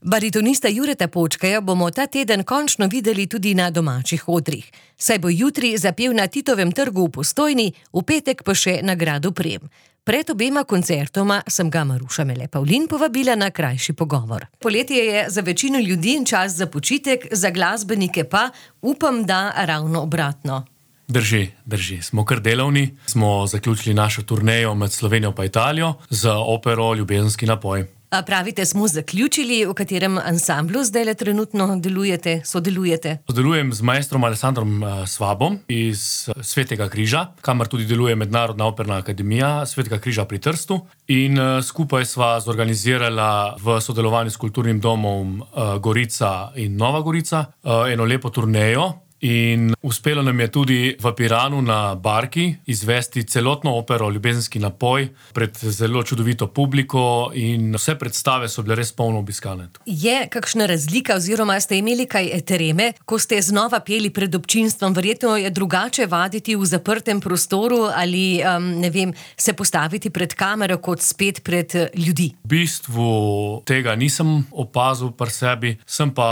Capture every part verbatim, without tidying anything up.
Baritonista Jureta Počkaja bomo ta teden končno videli tudi na domačih odrih. Saj bo jutri zapel na Titovem trgu v Postojni, v petek pa še na gradu Prem. Pred obema koncertoma sem ga Maruša Mele Pavlin povabila na krajši pogovor. Poletje je za večino ljudi čas za počitek, za glasbenike pa upam, da ravno obratno. Drži, drži. Smo kar delavni. Smo zaključili našo turnejo med Slovenijo pa Italijo z opero Ljubezenski napoj. A pravite, smo zaključili, v katerem ansamblu zdaj trenutno delujete, sodelujete? Sodelujem z maestrom Alessandrom Svabom iz Svetega križa, kamor tudi deluje Mednarodna operna akademija Svetega križa pri Trstu. In skupaj sva zorganizirala v sodelovanju s kulturnim domom Gorica in Nova Gorica eno lepo turnejo. In uspelo nam je tudi v Piranu na Barki izvesti celotno opero Ljubezenski napoj pred zelo čudovito publiko in vse predstave so bile res polno obiskane. Je kakšna razlika oziroma ste imeli kaj treme, ko ste znova peli pred občinstvom? Verjetno je drugače vaditi v zaprtem prostoru ali, um, ne vem, se postaviti pred kamero kot spet pred ljudi. V bistvu tega nisem opazil pri sebi, sem pa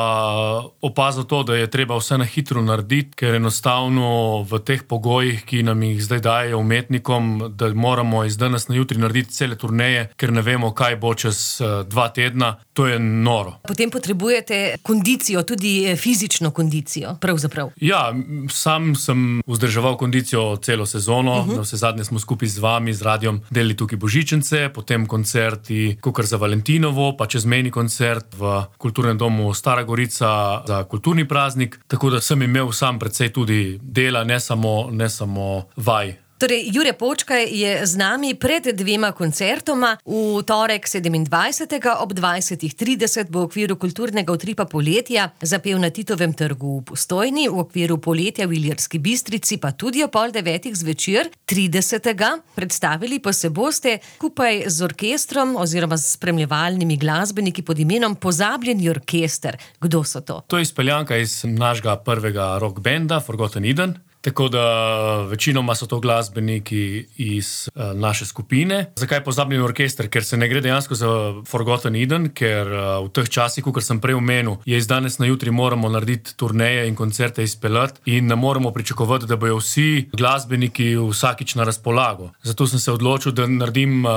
opazil to, da je treba vse na hitro narediti, ker enostavno v teh pogojih, ki nam jih zdaj dajejo umetnikom, da moramo iz danes na jutri narediti cele turneje, ker ne vemo, kaj bo čez dva tedna, to je noro. Potem potrebujete kondicijo, tudi fizično kondicijo, pravzaprav. Ja, sam sem vzdrževal kondicijo celo sezono, uh-huh. Vse zadnje smo skupaj z vami, z radiom, delili tukaj božičnice, potem koncerti, kakor za Valentinovo, pa čezmejni koncert v kulturnem domu Stara Gorica za kulturni praznik, tako da sem imel sam precej tudi dela, ne samo, ne samo vaj. Torej, Jure Počkaj je z nami pred dvema koncertoma. V torek sedemindvajsetega ob dvajsetih trideset bo v okviru kulturnega utripa poletja zapel na Titovem trgu v Postojni, v okviru poletja v Ilirski Bistrici pa tudi o pol devetih zvečer, tridesetega predstavili pa se boste skupaj z orkestrom oziroma s spremljevalnimi glasbeniki pod imenom Pozabljeni orkester. Kdo so to? To je izpeljanka iz našega prvega rock benda Forgotten Eden. Tako da večinoma so to glasbeniki iz uh, naše skupine. Zakaj Pozabljeni orkester? Ker se ne gre dejansko za Forgotten Eden, ker uh, v teh časih, kot sem prej omenil, je iz danes na jutri moramo narediti turneje in koncerte izpeljati in ne moramo pričakovati, da bojo vsi glasbeniki vsakič na razpolago. Zato sem se odločil, da naredim uh,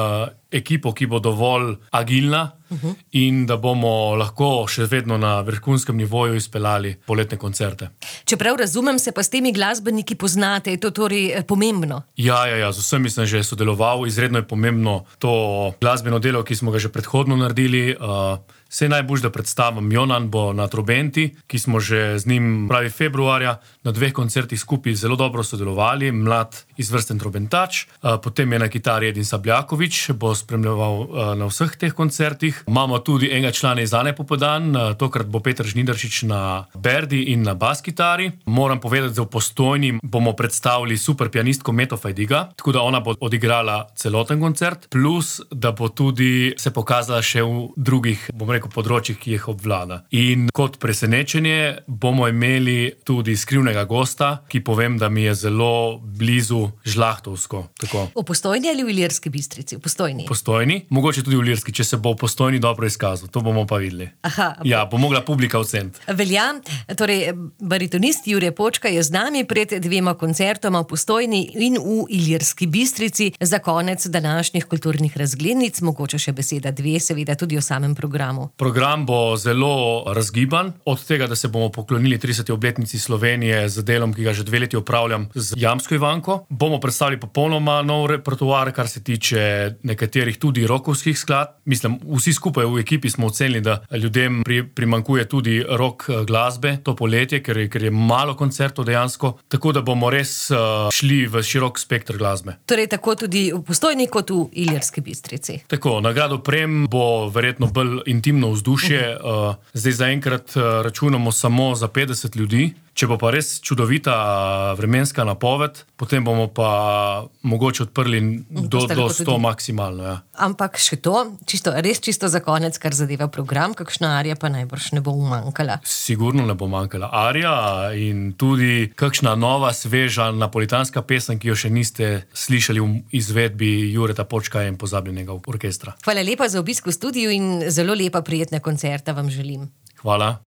ekipo, ki bo dovolj agilna, uh-huh. in da bomo lahko še vedno na vrhunskem nivoju izpeljali poletne koncerte. Čeprav razumem, se pa s temi glasbeniki poznate, je to torej pomembno? Ja, ja, ja, z vsemi sem že sodeloval, izredno je pomembno to glasbeno delo, ki smo ga že predhodno naredili. Uh, Vse najbolj, da predstavim, Jonan bo na trobenti, ki smo že z njim pravi februarja na dveh koncertih skupaj zelo dobro sodelovali, mlad izvrsten trobentač, potem je na kitari Edin Sabljakovič, bo spremljeval na vseh teh koncertih. Imamo tudi enega člana iz Ane Popodan, tokrat bo Peter Žnidaršič na berdi in na bas kitari. Moram povedati, da v Postojni bomo predstavili super pianistko Meto Fajdiga, tako da ona bo odigrala celoten koncert, plus da bo tudi se pokazala še v drugih, bom rekel, področjih, ki jih obvlada. In kot presenečenje bomo imeli tudi skrivnega gosta, ki povem, da mi je zelo blizu žlahtovsko. Tako. V Postojni ali v Ilirski Bistrici? V Postojni. V Postojni, mogoče tudi v Ilirski, če se bo v Postojni dobro izkazal. To bomo pa videli. Aha. Ja, bo mogla publika oceniti. Velja, torej baritonist Jure Počkaj je z nami pred dvema koncertoma v Postojni in v Ilirski Bistrici. Za konec današnjih kulturnih razglednic, mogoče še beseda dve, seveda tudi o samem programu. Program bo zelo razgiban, od tega, da se bomo poklonili trideseti obletnici Slovenije z delom, ki ga že dve leti opravljam z Jamsko Ivanko. Bomo predstavili popolnoma nov repertoar, kar se tiče nekaterih tudi rockovskih skladb. Mislim, vsi skupaj v ekipi smo ocenili, da ljudem pri, primankuje tudi rock glasbe to poletje, ker je, ker je malo koncertov dejansko, tako da bomo res uh, šli v širok spektr glasbe. Torej tako tudi v Postojni kot v Ilirski Bistrici. Tako, na gradu Prem bo verjetno bolj intimno vzdušje. Uh, zdaj zaenkrat uh, računamo samo za petdeset ljudi, Če bo pa res čudovita vremenska napoved, potem bomo pa mogoče odprli do, do sto maksimalno. Ja. Ampak še to, čisto, res čisto za konec, kar zadeva program, kakšna arija pa najbrž ne bo umanjkala. Sigurno ne bo manjkala arija in tudi kakšna nova, sveža napolitanska pesem, ki jo še niste slišali v izvedbi Jureta Počka in Pozabljenega orkestra. Hvala lepa za obisk v studiu in zelo lepa prijetna koncerta vam želim. Hvala.